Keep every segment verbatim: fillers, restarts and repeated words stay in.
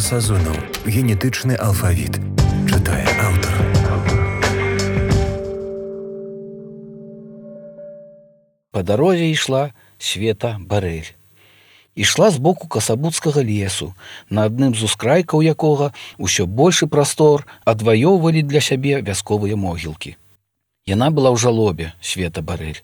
Сазонаў. Генетычны алфавіт. Чытае аўтар. Па дарозе ішла Света Барэль. Ішла з боку касабуцкага лесу, на адным з ускрайкаў якога ўсё большы прастор адваёўвалі для сябе вясковыя могілкі. Яна была ў жалобе, Света Барэль.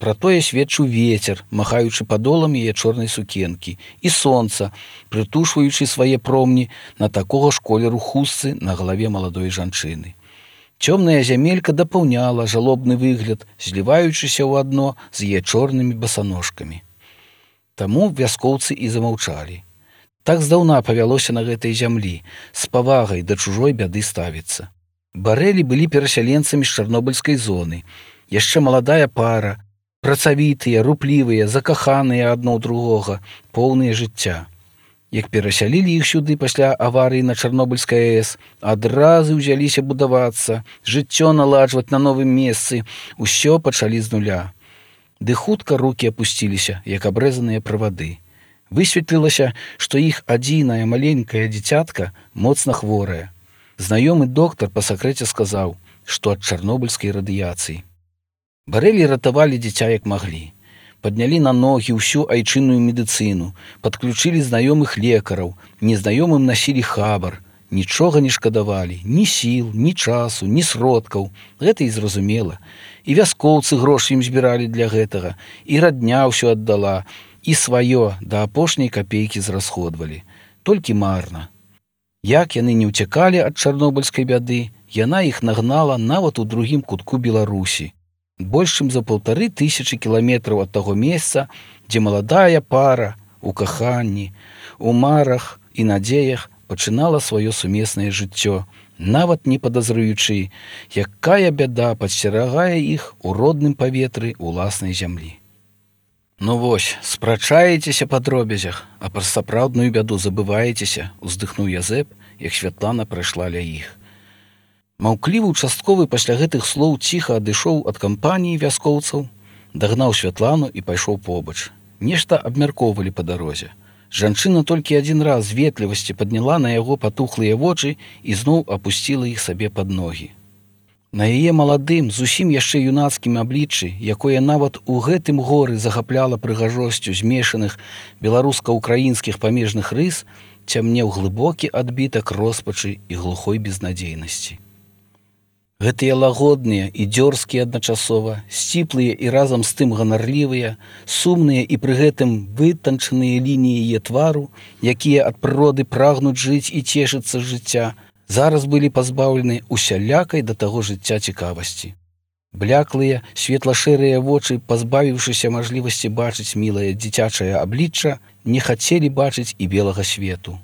Пра тое сведчыў вецер, махаючы падолам яе чорнай сукенкі, і сонца, прытушваючы свае промні на такога ж колеру хустцы на галаве маладой жанчыны. Цёмная зямелька дапаўняла жалобны выгляд, зліваючыся ў адно з яе чорнымі басаножкамі. Таму вяскоўцы і замаўчалі. Так здаўна павялося на гэтай зямлі, з павагай да чужой бяды ставіцца. Барэлі былі перасяленцамі з чарнобыльскай зоны, яшчэ маладая пара, працавітыя, руплівыя, закаханыя адно ў другога, поўныя жыцця. Як перасялілі іх сюды пасля аварыі на Чарнобыльскай АЭС, адразу ўзяліся будавацца, жыццё наладжваць на новым месцы, усё пачалі з нуля. Ды хутка рукі апусціліся, як абрэзаныя правады. Высветлілася, што іх адзінае маленькае дзіцятка моцна хворая. Знаёмы доктар па сакрэце сказаў, што ад чарнобыльскай радыяцыі. Барэлі ратавалі дзіця як маглі. Паднялі на ногі ўсю айчынную медыцыну, падключылі знаёмых лекараў, незнаёмым насілі хабар, нічога не шкадавалі, ні сіл, ні часу, ні сродкаў. Гэта і зразумела. І вяскоўцы грошы ім збіралі для гэтага, і радня ўсё аддала, і сваё да апошняй капейкі зрасходвалі. Толькі марна. Як яны не ўцякалі ад чарнобыльскай бяды, яна іх нагнала нават у другім кутку Беларусі. Больш чым за паўтары тысячы кіламетраў ад таго месца, дзе маладая пара у каханні, у марах і надзеях пачынала сваё сумеснае жыццё, нават не падазруючы, якая бяда падсцерагае іх у родным паветры уласнай зямлі. Ну вось, спрачаецеся па дробязях, а пра сапраўдную бяду забываецеся, уздыхнуў Язэп, як Святлана прайшла ля іх. Маўклівы участковы пасля гэтых слоў ціха адышоў ад кампаніі вяскоўцаў, дагнаў Святлану і пайшоў побач. Нешта абмяркоўвалі па дарозе. Жанчына толькі адзін раз з ветлівасці падняла на яго патухлыя вочы і зноў апусціла іх сабе пад ногі. На яе маладым, зусім яшчэ юнацкім абліччы, якое нават у гэтым горы захапляла прыгажосцю змешаных беларуска-украінскіх памежных рыс, цямнеў глыбокі адбітак роспачы і глухой безнадзейнасці. Гэтыя лагодныя і дзёрзкія адначасова, сціплыя і разам з тым ганарлівыя, сумныя і пры гэтым вытанчаныя лініі яе твару, якія ад прыроды прагнуць жыць і цешыцца жыцця, зараз былі пазбаўлены усялякай да таго жыцця цікавасці. Бляклыя, светла-шэрыя вочы, пазбавіўшыся мажлівасці бачыць мілае дзіцячае аблічча, не хацелі бачыць і белага свету.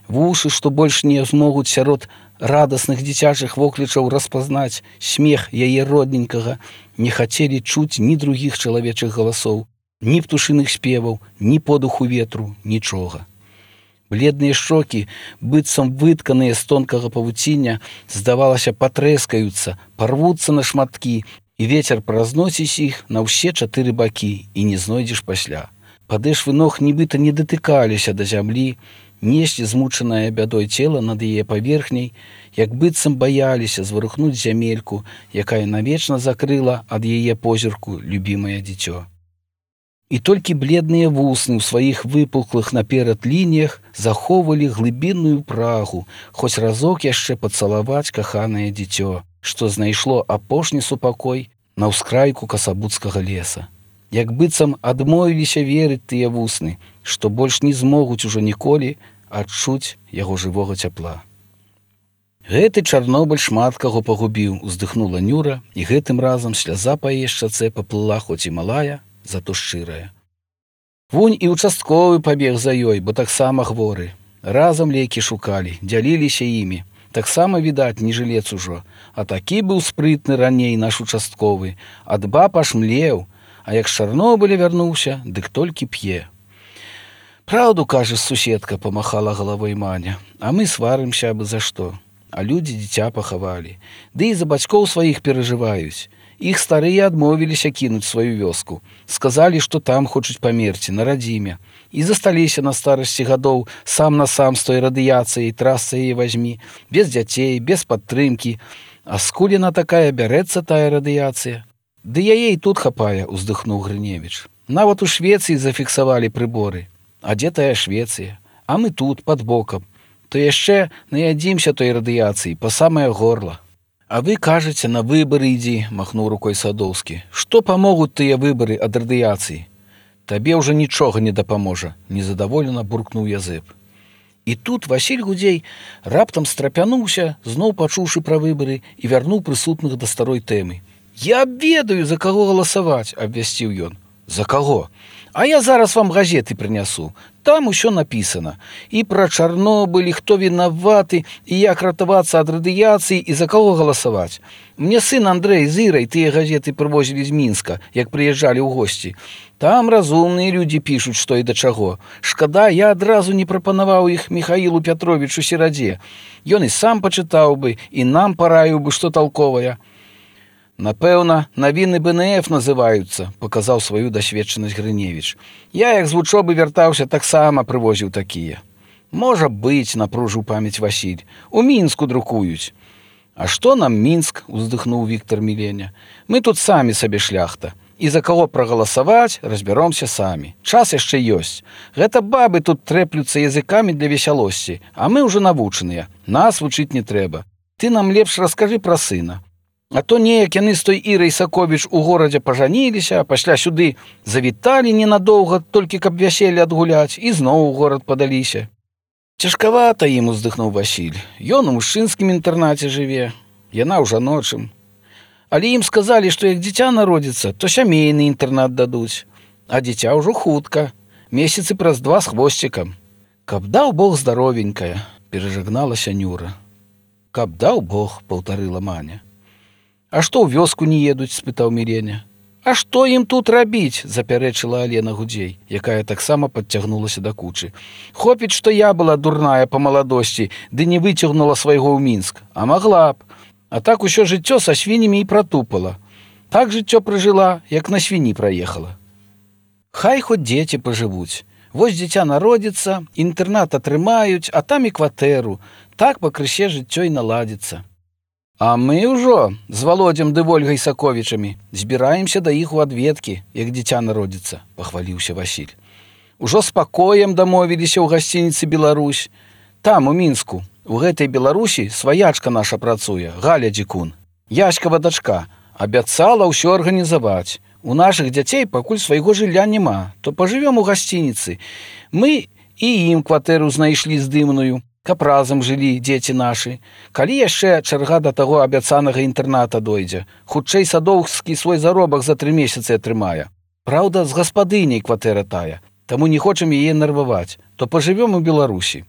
Вушы, што больш не змогуць сярод радасных дзіцячых воклічаў распазнаць смех яе родненькага, не хацелі чуць ні другіх чалавечых галасоў, ні птушыных спеваў, ні подуху ветру, нічога. Бледныя шчокі, быццам вытканыя з тонкага павуціння, здавалася, патрэскаюцца, парвуцца на шматкі, і вецер празносіць іх на ўсе чатыры бакі, і не знойдзеш пасля. Падэшвы ног нібыта не датыкаліся да зямлі, неслі змучанае бядой цела над яе паверхняй, як быццам баяліся зварухнуць зямельку, якая навечна закрыла ад яе позірку любімае дзіцё. І толькі бледныя вусны ў сваіх выпуклых наперад лініях захоўвалі глыбінную прагу, хоць разок яшчэ пацалаваць каханае дзіцё, што знайшло апошні супакой на ўскрайку касабуцкага леса. Як быццам адмовіліся верыць тыя вусны, што больш не змогуць ужо ніколі адчуць яго жывога цяпла. Гэты Чарнобыль шмат каго пагубіў, уздыхнула Нюра, і гэтым разам сляза па яе шчацэ паплыла, хоць і малая, зато шчырая. Вунь і участковы пабег за ёй, бо таксама хворы. Разам лекі шукалі, дзяліліся імі. Таксама, відаць, не жылец ужо. А такі быў спрытны раней наш участковы. Ад баб аж млеў, а як з Чарнобыля вярнуўся, дык толькі п'е. Праўду, кажа, суседка, памахала галавой Маня, а мы сварымся абы за што. А людзі дзіця пахавалі. Ды і за бацькоў сваіх перажываюць. Іх старыя адмовіліся кінуць сваю вёску. Сказалі, што там хочуць памерці, на радзіме. І засталіся на старасці гадоў сам на сам з той радыяцыяй, трасца яе вазьмі, без дзяцей, без падтрымкі. А скуль яна такая бярэцца, тая радыяцыя? Ды яе і тут хапае, уздыхнуў Грыневіч. Нават у Швецыі зафіксавалі прыборы. А дзе тая Швецыя? А мы тут, пад бокам. То яшчэ наядзімся той радыяцыі, па самае горла. А вы кажаце, на выбары ідзі, махнуў рукой Садоўскі. Што памогуць тыя выбары ад радыяцыі? Табе ўжо нічога не дапаможа, незадаволена буркнуў Язэп. І тут Васіль Гудзей раптам страпянуўся, зноў пачуўшы пра выбары, і вярнуў прысутных да старой тэмы. Я ведаю, за каго галасаваць, абвясціў ён. За каго? А я зараз вам газеты прынясу. Там усё напісана. І пра Чарнобыль, і хто вінаваты, і як ратавацца ад радыяцыі, і за каго галасаваць. Мне сын Андрэй з Ірай тыя газеты прывозілі з Мінска, як прыязджалі ў госці. Там разумныя людзі пішуць, што і да чаго. Шкада, я адразу не прапанаваў іх Міхаілу Пятровічу Серадзе. Ён і сам пачытаў бы, і нам параіў бы, што талковая. Напэўна, навіны бэ эн эф называюцца, паказаў сваю дасведчанасць Грыневіч. Я, як з вучобы вяртаўся, таксама прывозіў такія. Можа быць, напружыў памяць Васіль. У Мінску друкуюць. А што нам Мінск, уздыхнуў Віктар Міленя. Мы тут самі сабе шляхта. І за каго прагаласаваць, разбяромся самі. Час яшчэ ёсць. Гэта бабы тут трэплюцца языкамі для весялосці, а мы ўжо навучаныя. Нас вучыць не трэба. Ты нам лепш раскажы пра сына. А то неяк яны з той Ірай Саковіч у горадзе пажаніліся, а пасля сюды завіталі ненадоўга, толькі каб вяселле адгуляць, і зноў у горад падаліся. Цяжкавата ім, уздыхнуў Васіль. Ён у мужчынскім інтэрнаце жыве, яна ў жаночым. Але ім сказалі, што як дзіця народзіцца, то сямейны інтэрнат дадуць. А дзіця ўжо хутка, месяцы праз два з хвосцікам. Каб даў Бог здаровенькая, перажагналася Нюра. Каб даў Бог, паўтарыла Маня. А што ў вёску не едуць, спытаў Міленя. А што ім тут рабіць, запярэчыла Алена Гудзей, якая таксама падцягнулася да кучы. Хопіць, што я была дурная па маладосці, ды не выцягнула свайго ў Мінск, а магла б. А так усё жыццё са свіннямі і пратупала. Так жыццё пражыла, як на свіні праехала. Хай хоць дзеці пажывуць. Вось дзіця народзіцца, інтэрнат атрымаюць, а там і кватэру. Так пакрысе жыццё і наладзіцца. А мы ўжо з Володзем ды Вольгай Саковічамі збіраемся да іх у адведкі, як дзіця народзіцца, пахваліўся Васіль. Ужо з пакоем дамовіліся ў гасцініцы «Беларусь». Там, у Мінску, у гэтай Беларусі сваячка наша працуе, Галя Дзікун. Яськава дачка. Абяцала ўсё арганізаваць. У нашых дзяцей пакуль свайго жылля няма, то пажывём у гасцініцы. Мы і ім кватэру знайшлі здымную, каб разам жылі дзеці нашы. Калі яшчэ чарга да таго абяцанага інтэрната дойдзе, хутчэй Садоўскі свой заробак за тры месяцы атрымае. Праўда, з гаспадыняй кватэра тая, таму не хочам яе нарваваць, то пажывём у Беларусі.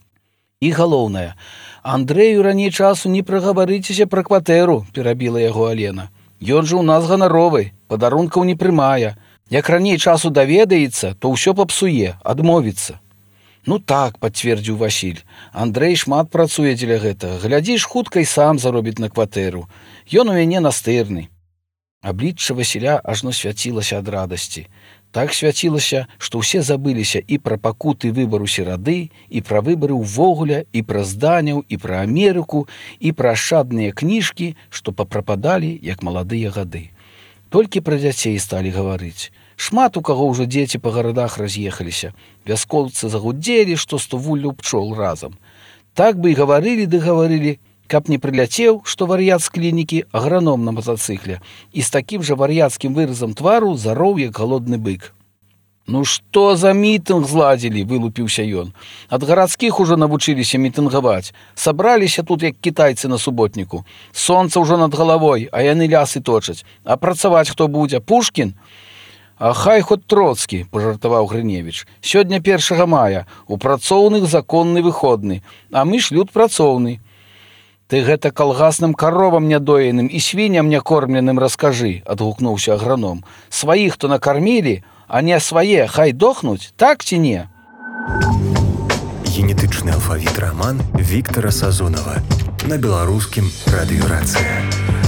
І галоўнае, Андрэю раней часу не прагаварыцеся пра кватэру, перабіла яго Алена. Ён жа ў нас ганаровы, падарункаў не прымае. Як раней часу даведаецца, то ўсё папсуе, адмовіцца. Ну так, пацвердзіў Васіль. Андрэй шмат працуе дзеля гэтага. Глядзіш, хутка і сам заробіць на кватэру. Ён у мяне настырны. Аблічча Васіля ажно свяцілася ад радасці. Так свяцілася, што ўсе забыліся і пра пакуты выбару серады, і пра выбары ўвогуле, і пра зданяў, і пра Амерыку, і пра ашчадныя кніжкі, што папрападалі, як маладыя гады. Толькі пра дзяцей сталі гаварыць. Шмат у каго ўжо дзеці па гарадах раз'ехаліся. Вяскоўцы загудзелі, што сто вуллю пчол разам. Так бы і гаварылі ды гаварылі, каб не прыляцеў, што вар'ят з клінікі аграном на матацыкле і з такім жа вар'яцкім выразам твару зароў, як галодны бык. Ну што за мітынг зладзілі, вылупіўся ён. Ад гарадскіх ужо навучыліся мітынгаваць. Сабраліся тут, як кітайцы на суботніку. Сонца ўжо над галавой, а яны лясы точаць. А працаваць хто будзе? Пушкін? А хай хоць Троцкі, пажартаваў Грыневіч. Сёння першага мая, у працоўных законны выходны, а мы ж люд працоўны. Ты гэта калгасным каровам нядоеным і свінням някормленым раскажы, адгукнуўся аграном. Сваіх то накармілі, а не свае хай дохнуць, так ці не? Генетычны алфавіт раман Віктара Сазонава на беларускім радыёрацыя.